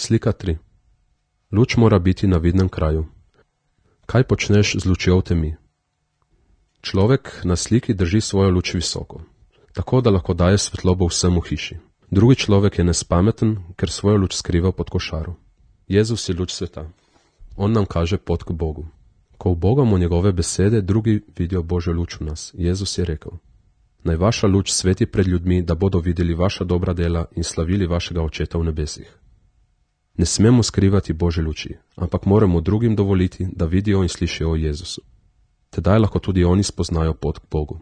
Slika 3. Luč mora biti na vidnem kraju. Kaj počneš z lučjo v temi? Človek na sliki drži svojo luč visoko, tako da lahko daje svetlobo vsem v hiši. Drugi človek je nespameten, ker svojo luč skriva pod košaro. Jezus je luč sveta. On nam kaže pot k Bogu. Ko ubogamo njegove besede, drugi vidijo Božjo luč v nas. Jezus je rekel: naj vaša luč sveti pred ljudmi, da bodo videli vaša dobra dela in slavili vašega Očeta v nebesih. Ne smemo skrivati Božje luči, ampak moramo drugim dovoliti, da vidijo in slišijo o Jezusu. Tedaj lahko tudi oni spoznajo pot k Bogu.